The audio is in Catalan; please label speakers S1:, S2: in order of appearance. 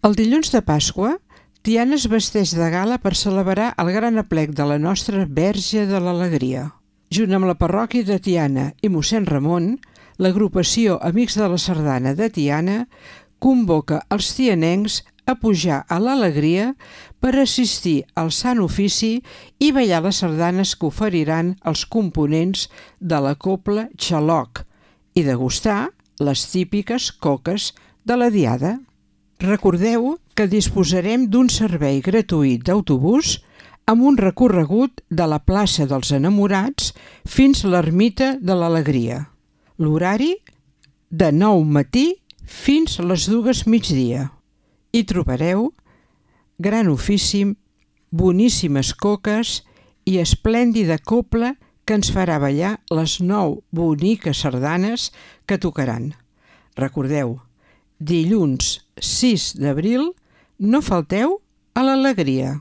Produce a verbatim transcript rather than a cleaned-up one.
S1: El dilluns de Pasqua, Tiana es vesteix de gala per celebrar el gran aplec de la nostra Verge de l'Alegria. Junt amb la parròquia de Tiana i mossèn Ramon, l'agrupació Amics de la Sardana de Tiana convoca els tianencs a pujar a l'Alegria per assistir al Sant Ofici i ballar les sardanes que oferiran els components de la cobla Xaloc i degustar les típiques coques de la Diada. Recordeu que disposarem d'un servei gratuït d'autobús amb un recorregut de la plaça dels Enamorats fins a l'Ermita de l'Alegria. L'horari de nou matí fins a les dues migdia. Hi trobareu gran ofici, boníssimes coques i esplèndida cobla que ens farà ballar les nou boniques sardanes que tocaran. Recordeu, dilluns sis d'abril, no falteu a l'Alegria.